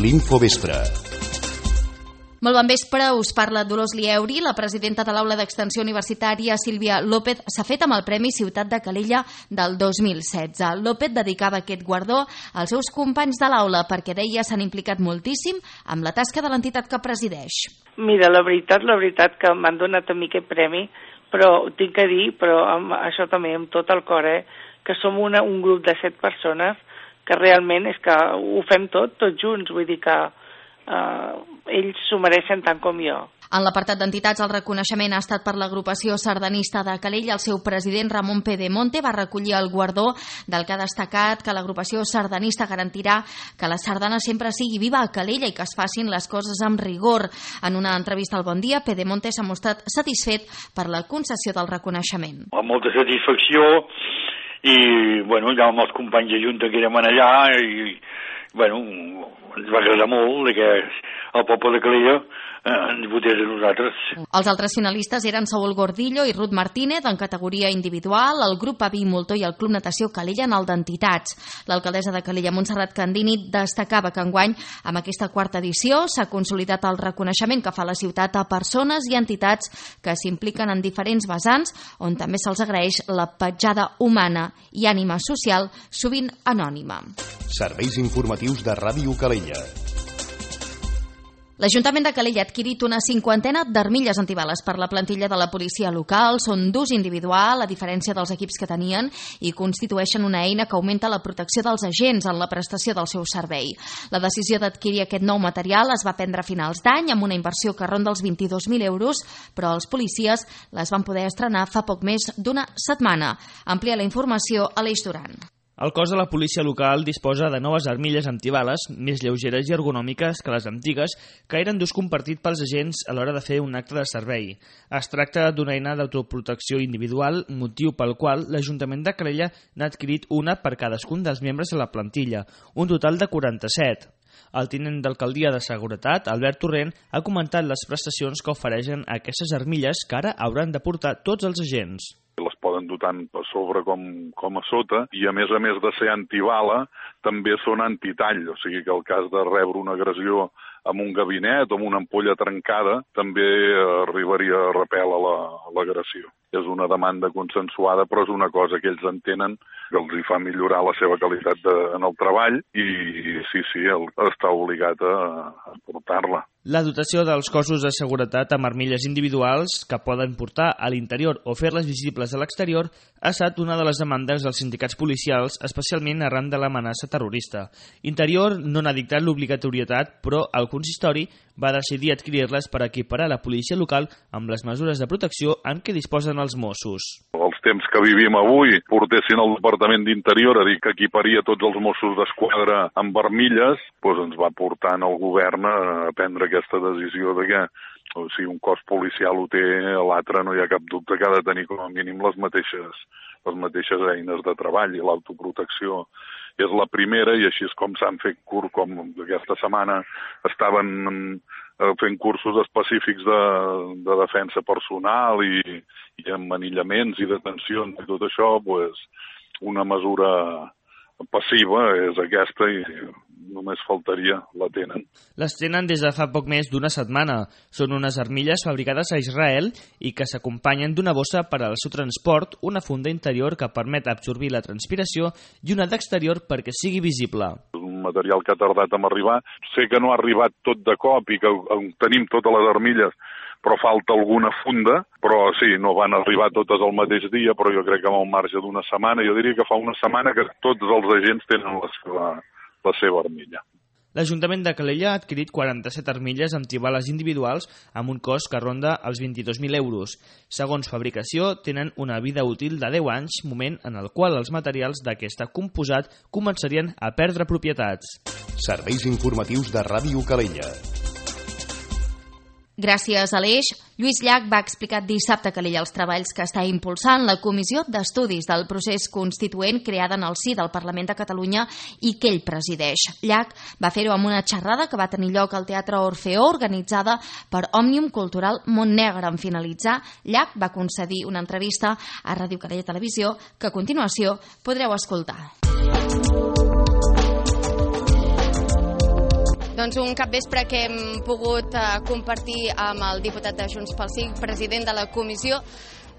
l'Infovespre. Molt bon vespre, us parla Dolors Lieuri. La presidenta de l'Aula d'Extensió Universitària, Sílvia López, s'ha fet amb el Premi Ciutat de Calella del 2016. López dedicava aquest guardó als seus companys de l'aula perquè deia s'han implicat moltíssim amb la tasca de l'entitat que presideix. Mira, la veritat que m'han donat a mi aquest premi, però tinc que dir, però amb això també amb tot el cor, que som un grup de 7 persones que realment és que ho fem tots junts, vull dir que ells s'ho mereixen tant com jo. En l'apartat d'entitats, el reconeixement ha estat per l'agrupació sardanista de Calella. El seu president, Ramon Pedemonte, va recollir el guardó del que ha destacat que l'agrupació sardanista garantirà que la sardana sempre sigui viva a Calella i que es facin les coses amb rigor. En una entrevista al Bon Dia, Pedemonte s'ha mostrat satisfet per la concessió del reconeixement. Amb molta satisfacció i, ja amb els companys de Junta que érem allà i, ens va agradar molt que el poble de Calella ens votés a nosaltres. Els altres finalistes eren Saúl Gordillo i Ruth Martínez en categoria individual, el grup Avi Moltó i el Club Natació Calella en el d'entitats. L'alcaldessa de Calella, Montserrat Candini, destacava que enguany, amb aquesta quarta edició, s'ha consolidat el reconeixement que fa la ciutat a persones i entitats que s'impliquen en diferents vessants, on també se'ls agraeix la petjada humana i ànima social, sovint anònima. Serveis informatius de Ràdio Calella. L'Ajuntament de Calella ha adquirit una 50 d'armilles antibales per la plantilla de la policia local. Són d'ús individual, a diferència dels equips que tenien, i constitueixen una eina que augmenta la protecció dels agents en la prestació del seu servei. La decisió d'adquirir aquest nou material es va prendre a finals d'any amb una inversió que ronda els 22.000 euros, però els policies les van poder estrenar fa poc més d'una setmana. Amplia la informació a l'Eix Duran. El cos de la policia local disposa de noves armilles antibales més lleugeres i ergonòmiques que les antigues, que eren d'ús compartit pels agents a l'hora de fer un acte de servei. Es tracta d'una eina d'autoprotecció individual, motiu pel qual l'Ajuntament de Calella n'ha adquirit una per cadascun dels membres de la plantilla, un total de 47. El tinent d'alcaldia de Seguretat, Albert Torrent, ha comentat les prestacions que ofereixen aquestes armilles que ara hauran de portar tots els agents. Les poden dur tant a sobre com a sota i a més de ser antibala també són antitall, o sigui que el cas de rebre una agressió amb un gabinet o amb una ampolla trencada també arribaria a repel a l'agressió. És una demanda consensuada, però és una cosa que ells entenen que els hi fa millorar la seva qualitat en el treball i sí, està obligat a portar-la. La dotació dels cossos de seguretat amb armilles individuals que poden portar a l'interior o fer-les visibles a l'exterior ha estat una de les demandes dels sindicats policials, especialment arran de l'amenaça terrorista. Interior no n'ha dictat l'obligatorietat, però el consistori va decidir adquirir-les per equiparar la policia local amb les mesures de protecció amb què disposen els Mossos. Els temps que vivim avui portessin el Departament d'Interior a dir que equiparia tots els Mossos d'Esquadra amb armilles, doncs ens va portar el govern a prendre aquesta decisió de que si un cos policial ho té, l'altre no hi ha cap dubte que ha de tenir com a mínim les mateixes eines de treball i l'autoprotecció és la primera i així és com s'han fet com aquesta setmana estaven fent cursos específics de defensa personal i amb anillaments i detencions i tot això, una mesura passiva és aquesta i només faltaria, la tenen. Les tenen des de fa poc més d'una setmana. Són unes armilles fabricades a Israel i que s'acompanyen d'una bossa per al seu transport, una funda interior que permet absorbir la transpiració i una d'exterior perquè sigui visible. És un material que ha tardat en arribar. Sé que no ha arribat tot de cop i que tenim totes les armilles, però falta alguna funda, però sí, no van arribar totes al mateix dia, però jo crec que amb el marge d'una setmana, jo diria que fa una setmana que tots els agents tenen la seva armilla. L'Ajuntament de Calella ha adquirit 47 armilles antibales individuals amb un cost que ronda els 22.000 euros. Segons fabricació, tenen una vida útil de 10 anys, moment en el qual els materials d'aquest composat començarien a perdre propietats. Serveis informatius de Ràdio Calella. Gràcies a l'Eix, Lluís Llach va explicar dissabte a Calella els treballs que està impulsant la Comissió d'Estudis del Procés Constituent creada en el si del Parlament de Catalunya i que ell presideix. Llach va fer-ho amb una xerrada que va tenir lloc al Teatre Orfeó, organitzada per Òmnium Cultural Montnegre. En finalitzar, Llach va concedir una entrevista a Ràdio Calella Televisió que a continuació podreu escoltar. Doncs un capvespre que hem pogut compartir amb el diputat de Junts pel Sí, president de la Comissió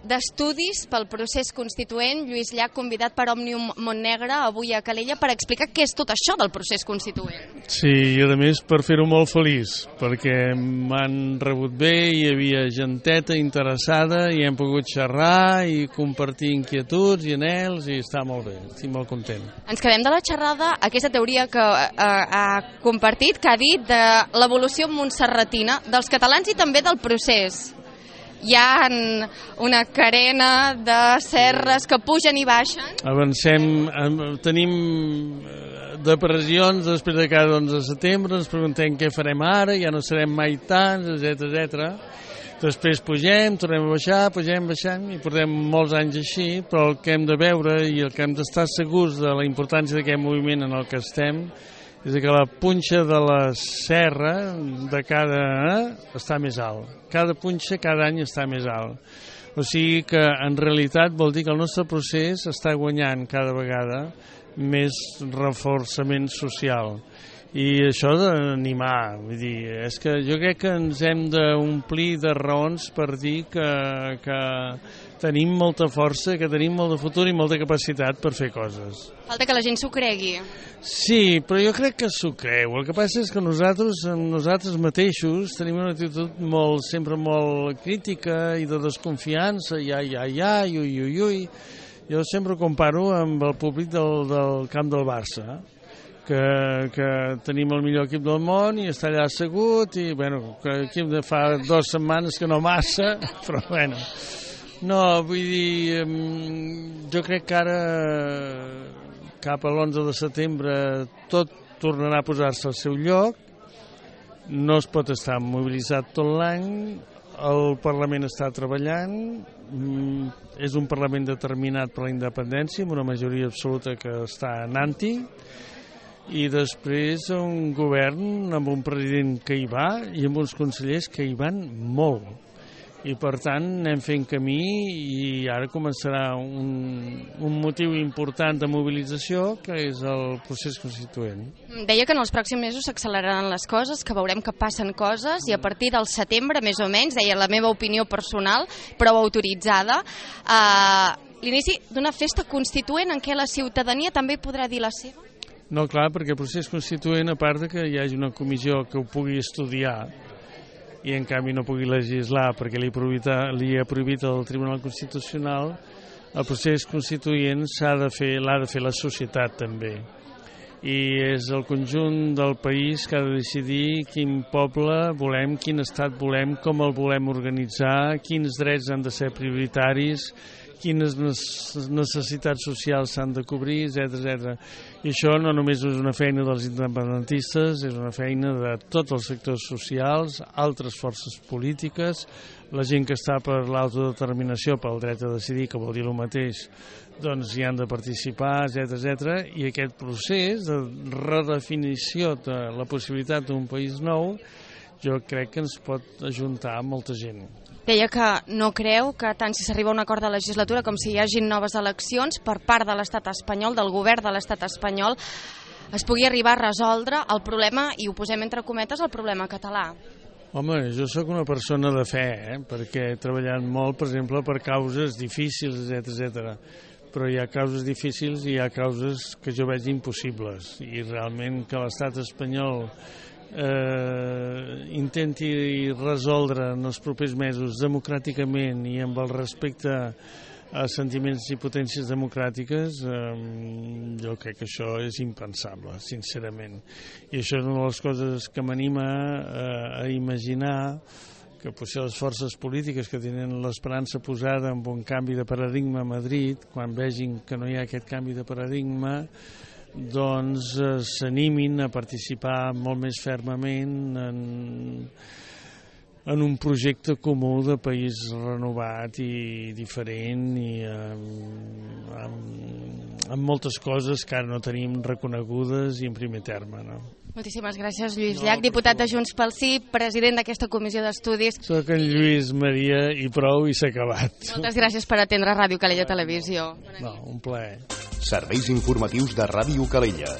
d'Estudis pel Procés Constituent, Lluís Llach, convidat per Òmnium Montnegre avui a Calella per explicar què és tot això del procés constituent. Sí, i a més per fer-ho molt feliç, perquè m'han rebut bé, hi havia genteta interessada i hem pogut xerrar i compartir inquietuds i anhels i està molt bé, estic molt content. Ens quedem de la xerrada aquesta teoria que ha compartit, que ha dit de l'evolució montserratina dels catalans i també del procés. Hi ha una carena de serres que pugen i baixen. Avancem, tenim depressions després de cada 11 de setembre, ens preguntem què farem ara, ja no serem mai tants, etc. Després pugem, tornem a baixar, pugem, baixem i portem molts anys així, però el que hem de veure i el que hem d'estar segurs de la importància d'aquest moviment en el que estem és que la punxa de la serra de cada està més alt. Cada punxa cada any està més alt. O sigui que en realitat vol dir que el nostre procés està guanyant cada vegada més reforçament social. I això d'animar, vull dir, és que jo crec que ens hem d'omplir de raons per dir que tenim molta força, que tenim molt de futur i molta capacitat per fer coses. Falta que la gent s'ho cregui. Sí, però jo crec que s'ho creu. El que passa és que nosaltres mateixos tenim una actitud sempre molt crítica i de desconfiança, ui. Jo sempre ho comparo amb el públic del camp del Barça, que tenim el millor equip del món i està allà assegut i, bueno, que equip de fa 2 setmanes que no massa, però, bueno. No, vull dir, jo crec que ara, cap a l'11 de setembre, tot tornarà a posar-se al seu lloc, no es pot estar mobilitzat tot l'any, el Parlament està treballant, és un Parlament determinat per la independència, amb una majoria absoluta que està anant-hi, i després un govern amb un president que hi va i amb uns consellers que hi van molt. I per tant anem fent camí i ara començarà un motiu important de mobilització que és el procés constituent. Deia que en els pròxims mesos s'acceleraran les coses, que veurem que passen coses i a partir del setembre, més o menys, deia la meva opinió personal, prou autoritzada, l'inici d'una festa constituent en què la ciutadania també podrà dir la seva? No, clar, perquè el procés constituent, a part que hi hagi una comissió que ho pugui estudiar i en canvi no pugui legislar perquè li ha prohibit el Tribunal Constitucional, el procés constituent l'ha de fer la societat també. I és el conjunt del país que ha de decidir quin poble volem, quin estat volem, com el volem organitzar, quins drets han de ser prioritaris, quines necessitats socials s'han de cobrir, etc. I això no només és una feina dels independentistes, és una feina de tots els sectors socials, altres forces polítiques, la gent que està per l'autodeterminació, pel dret a decidir, que vol dir el mateix, doncs hi han de participar, etc. I aquest procés de redefinició de la possibilitat d'un país nou, jo crec que ens pot ajuntar molta gent. Deia que no creu que tant si s'arriba a un acord de legislatura com si hi hagin noves eleccions per part de l'estat espanyol, del govern de l'estat espanyol, es pugui arribar a resoldre el problema, i ho posem entre cometes, el problema català. Home, jo sóc una persona de fe, perquè he treballat molt, per exemple, per causes difícils, etc. Però hi ha causes difícils i hi ha causes que jo veig impossibles. I realment que l'estat espanyol intenti resoldre en els propers mesos democràticament i amb el respecte a sentiments i potències democràtiques, jo crec que això és impensable, sincerament. I això és una de les coses que m'anima a imaginar que potser les forces polítiques que tenen l'esperança posada en un canvi de paradigma a Madrid, quan vegin que no hi ha aquest canvi de paradigma, doncs s'animin a participar molt més fermament en un projecte comú de país renovat i diferent i amb moltes coses que ara no tenim reconegudes i en primer terme, no? Moltíssimes gràcies, Lluís Llach, diputat de Junts pel Sí, president d'aquesta comissió d'estudis. Soc en Lluís Maria i prou i s'ha acabat. Moltes gràcies per atendre Ràdio Calella Televisió. No, un plaer. Serveis informatius de Ràdio Calella.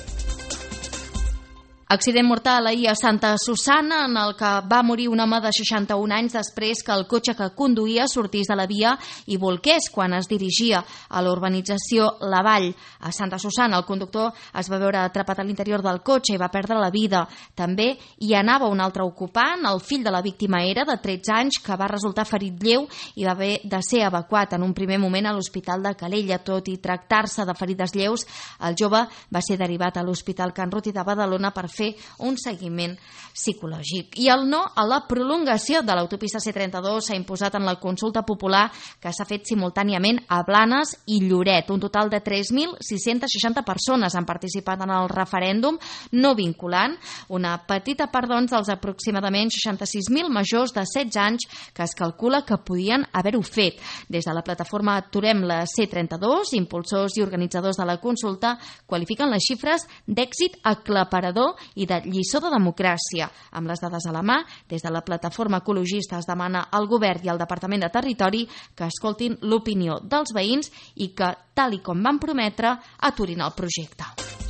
Accident mortal ahir a Santa Susanna, en el que va morir un home de 61 anys després que el cotxe que conduïa sortís de la via i volqués quan es dirigia a la urbanització La Vall. A Santa Susanna, el conductor es va veure atrapat a l'interior del cotxe i va perdre la vida. També hi anava un altre ocupant, el fill de la víctima era de 13 anys, que va resultar ferit lleu i va haver de ser evacuat en un primer moment a l'Hospital de Calella. Tot i tractar-se de ferides lleus, el jove va ser derivat a l'Hospital Can Ruti de Badalona per fer un seguiment psicològic. I el no a la prolongació de l'autopista C32 s'ha imposat en la consulta popular que s'ha fet simultàniament a Blanes i Lloret. Un total de 3.660 persones han participat en el referèndum no vinculant, una petita part dels aproximadament 66.000 majors de 16 anys que es calcula que podien haver-ho fet. Des de la plataforma Aturem la C32, impulsors i organitzadors de la consulta qualifiquen les xifres d'èxit aclaparador i de lliçó de democràcia. Amb les dades a la mà, des de la plataforma ecologista es demana al Govern i al Departament de Territori que escoltin l'opinió dels veïns i que, tal i com van prometre, aturin el projecte.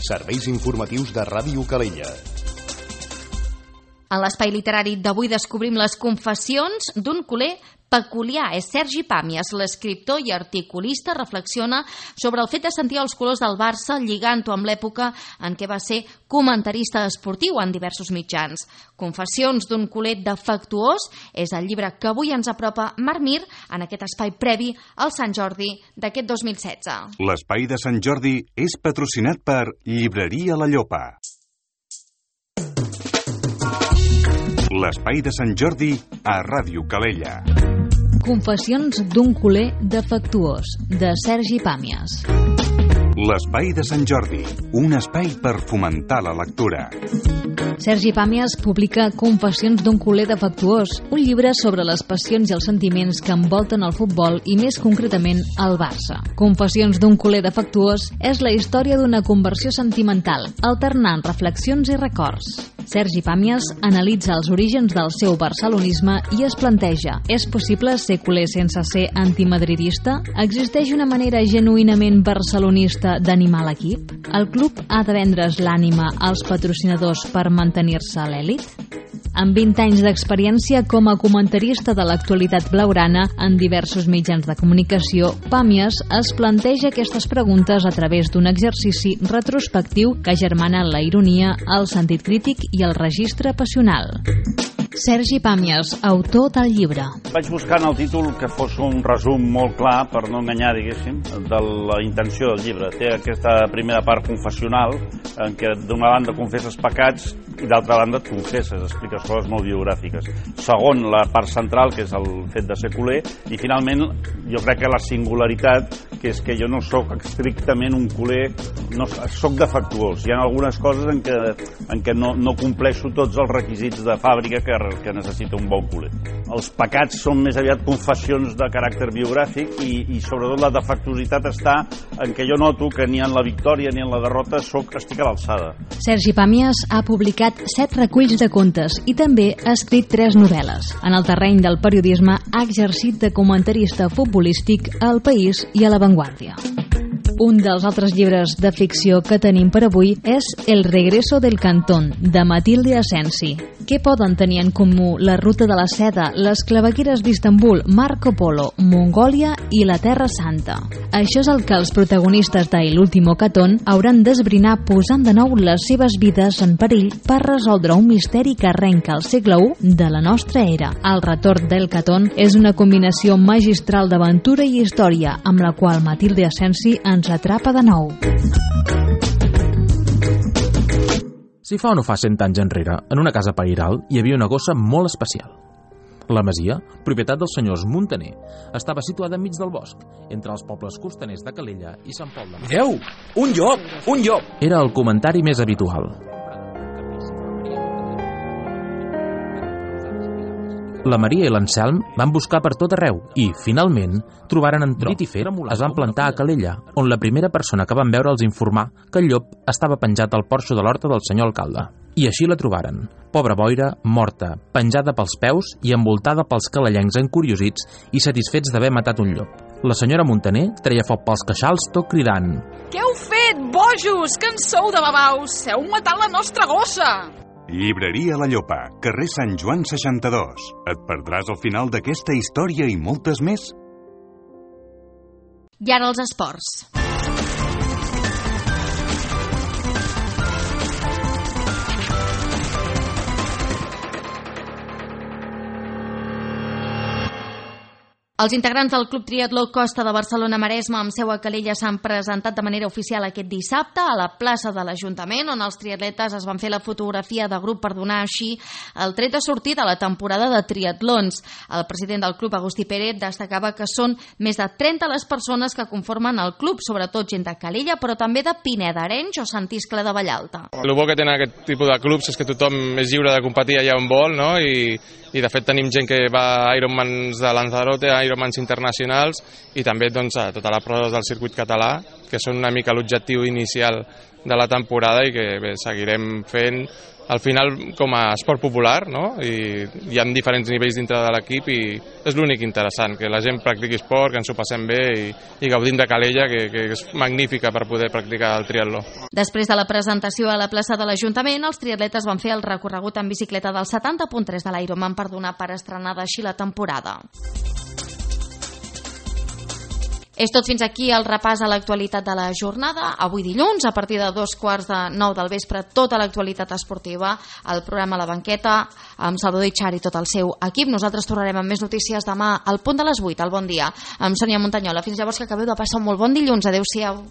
Serveis informatius de Ràdio Calella. En l'espai literari d'avui descobrim les confessions d'un culer peculiar. És Sergi Pàmies, l'escriptor i articulista, reflexiona sobre el fet de sentir els colors del Barça lligant-ho amb l'època en què va ser comentarista esportiu en diversos mitjans. Confessions d'un culer defectuós és el llibre que avui ens apropa Marc Mir en aquest espai previ al Sant Jordi d'aquest 2016. L'espai de Sant Jordi és patrocinat per Llibreria La Llopa. L'espai de Sant Jordi a Ràdio Calella. Confessions d'un culer defectuós, de Sergi Pàmies. L'espai de Sant Jordi, un espai per fomentar la lectura. Sergi Pàmies publica Confessions d'un culer defectuós, un llibre sobre les passions i els sentiments que envolten el futbol i més concretament el Barça. Confessions d'un culer defectuós és la història d'una conversió sentimental, alternant reflexions i records. Sergi Pàmies analitza els orígens del seu barcelonisme i es planteja: és possible ser culer sense ser antimadridista? Existeix una manera genuïnament barcelonista d'animar l'equip? El club ha de vendre's l'ànima als patrocinadors per mantenir-se a l'èlit? Amb 20 anys d'experiència com a comentarista de l'actualitat blaugrana en diversos mitjans de comunicació, Pàmies es planteja aquestes preguntes a través d'un exercici retrospectiu que agermana la ironia, el sentit crític i el registre passional. Sergi Pàmies, autor del llibre. Vaig buscar en el títol que fos un resum molt clar, per no enganyar, diguéssim, de la intenció del llibre. Té aquesta primera part confessional, en què d'una banda confesses pecats i d'altra banda et confesses, expliques coses molt biogràfiques. Segon, la part central, que és el fet de ser culer, i finalment jo crec que la singularitat, que és que jo no sóc estrictament un culer, no, sóc defectuós. Hi ha algunes coses en què no compleixo tots els requisits de fàbrica que necessita un bon culer. Els pecats són més aviat confessions de caràcter biogràfic i sobretot la defectuositat està en què jo noto que ni en la victòria ni en la derrota estic a l'alçada. Sergi Pàmies ha publicat 7 reculls de contes i també ha escrit 3 novel·les. En el terreny del periodisme ha exercit de comentarista futbolístic a El País i a La Vanguardia. Un dels altres llibres de ficció que tenim per avui és El regreso del Cantón, de Matilde Asensi. Què poden tenir en comú la ruta de la seda, les clavegueres d'Istanbul, Marco Polo, Mongòlia i la Terra Santa? Això és el que els protagonistes de El último Catón hauran d'esbrinar posant de nou les seves vides en perill per resoldre un misteri que arrenca al segle I de la nostra era. El retorn del Catón és una combinació magistral d'aventura i història amb la qual Matilde Asensi ens atrapa de nou. Si fa o no fa 100 anys enrere, en una casa pairal hi havia una gossa molt especial. La masia, propietat dels senyors Muntaner, estava situada enmig del bosc, entre els pobles costaners de Calella i Sant Pol de Mar. Mireu! Un llop! Un llop! Era el comentari més habitual. La Maria i l'Anselm van buscar per tot arreu i, finalment, trobaren en Trit i Fet, es van plantar a Calella, on la primera persona que van veure els informà que el llop estava penjat al porxo de l'horta del senyor alcalde. I així la trobaren, pobra boira, morta, penjada pels peus i envoltada pels calellencs encuriosits i satisfets d'haver matat un llop. La senyora Muntaner treia foc pels queixals tot cridant: Què heu fet? Quiet, bojos, que en sou de babaus! Heu matat la nostra gossa! Llibreria La Llopa, carrer Sant Joan 62. Et perdràs al final d'aquesta història i moltes més? I ara els esports. Els integrants del Club Triatló Costa de Barcelona-Maresme amb seu a Calella s'han presentat de manera oficial aquest dissabte a la plaça de l'Ajuntament, on els triatletes es van fer la fotografia de grup per donar així el tret de sortida a la temporada de triatlons. El president del club, Agustí Pérez, destacava que són més de 30 les persones que conformen el club, sobretot gent de Calella, però també de Pineda, Arenys o Sant Iscle de Vallalta. El bo que tenen aquest tipus de clubs és que tothom és lliure de competir allà on vol, no? I de fet tenim gent que va a Ironmans de Lanzarote, a Ironmans internacionals i també doncs, a totes les proves del circuit català, que són una mica l'objectiu inicial de la temporada i que bé, seguirem fent al final com a esport popular, no? I hi ha diferents nivells dintre de l'equip i és l'únic interessant, que la gent practiqui esport, que ens ho passem bé i gaudim de Calella, que és magnífica per poder practicar el triatló. Després de la presentació a la plaça de l'Ajuntament, els triatletes van fer el recorregut en bicicleta del 70.3 de l'Ironman per donar per estrenada així la temporada. És tot fins aquí el repàs a l'actualitat de la jornada. Avui dilluns, a partir de 8:45 del vespre, tota l'actualitat esportiva, el programa La Banqueta, amb Salvador Itxar i tot el seu equip. Nosaltres tornarem amb més notícies demà al punt de les 8, al Bon Dia, amb Sònia Montanyola. Fins llavors, que acabeu de passar un molt bon dilluns. Adéu-siau.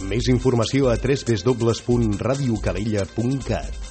Més informació a www.radiocalella.cat.